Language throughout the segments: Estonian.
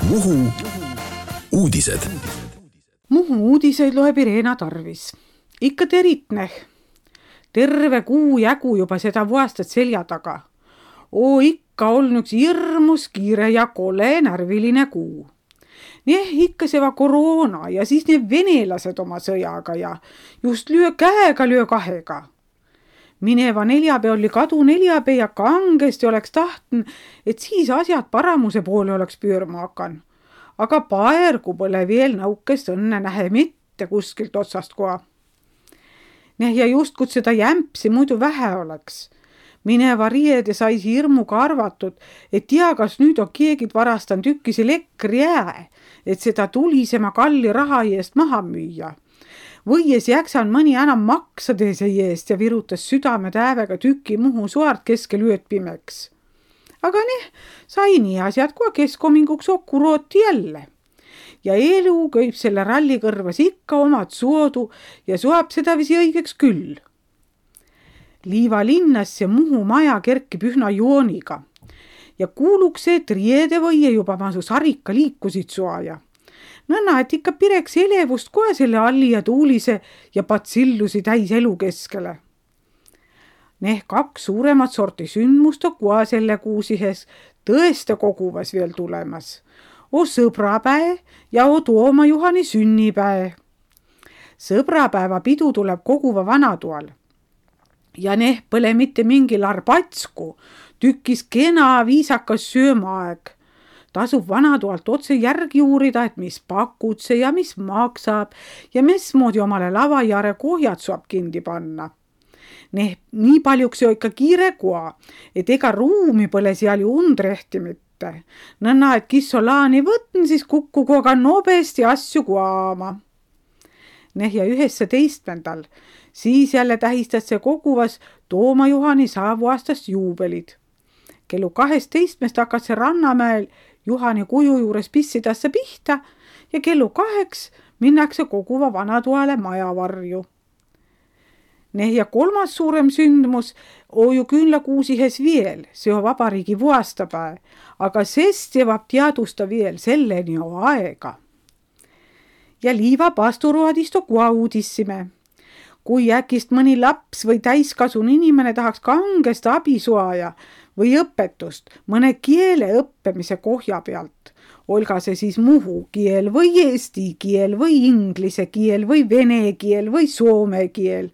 Muhu uudised. Muhu uudiseid loeb Irena Tarvis. Ikka teritneh. Terve kuu jagu juba seda vuastat selja taga. Ikka on üks hirmus kiire ja kole närviline kuu. Ikka seva koroona ja siis need venelased oma sõjaga ja just lyö käega, lyö kahega. Mineva neljapäev oli kadu neljapäev ja kangesti oleks tahtn, et siis asjad paramuse poole oleks püürma hakan. Aga paergu pole veel naukest õnne nähe mitte kuskilt otsast koha. Ja just kui seda jämpsi muidu vähe oleks. Mineva riede sais hirmuga arvatud, et tea, kas nüüd on keegid varastan tükkis elektri jää, et seda tulisema kalli raha eest maha müüa. Võies jaksan mõni enam maksade see eest ja virutas südame täevega tüki Muhu suart keskel ööd pimeks. Aga sai nii asjad, kui keskominguks okurooti jälle. Ja elu köib selle ralli kõrvas ikka omad suodu ja suab seda visi õigeks küll. Liiva linnas ja Muhu maja kerkib ühna jooniga ja kuuluks see, et riede võie juba masu sarika liikusid suaja. Nõnna, et ikka pireks elevust kohe selle alli ja tuulise ja patsillusi täis elu keskele. 2 suuremat sorti sündmust on kohe selle kuusihes tõeste koguvas veel tulemas. Sõbrapäe ja Tooma Juhani sünnipäe. Sõbrapäeva pidu tuleb koguva vanatoal. Ja pole mitte mingi larbatsku, tükkis kena viisakas söömaaeg. Tasub vanatoalt otse järgi uurida, et mis pakutse ja mis maksab ja mismoodi omale lavajare kohjad saab kindi panna. Nii paljuks jo ikka kiire koa, et ega ruumi pole seal ju undrehti mitte. Nõnna, et kissolaani võtn, siis kukku koga nobesti asju koama. Ja 19. Siis jälle tähistad see koguvas Tooma Juhani saavuastast juubelid. Kellu 12 hakkas see Rannamäel Juhani kuju juures pissidasse pihta ja kellu 2 minnakse koguva vanatoale majavarju. Ja 3. suurem sündmus on ju küünlakuusihes veel, see on vabariigi vuastapäev, aga sest jõvab teadusta veel selleni on aega. Ja liiva pasturuadist on koha uudissime. Kui äkist mõni laps või täiskasun inimene tahaks kangest abisuaja või õpetust mõne kiele õppimise kohja pealt, olga see siis muhu kiel või eesti kiel või inglise kiel või vene kiel või soome kiel.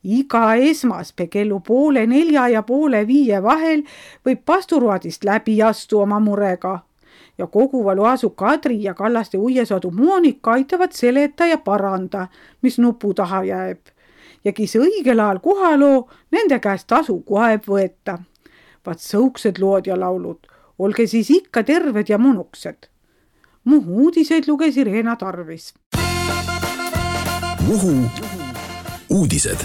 Iga esmaspäev kellu 3:30 ja 4:30 vahel võib pasturuadist läbi astu oma murega. Ja koguva loasu Kadri ja Kallaste uiesadu Moonika aitavad seleta ja paranda, mis nupu taha jääb. Ja kis õigel ajal kohaloo, nende käest tasu kohe võeta. Vaat sõuksed lood ja laulud, olge siis ikka terved ja munuksed. Muhu uudiseid luges Irena Tarvis. Muhu uudised.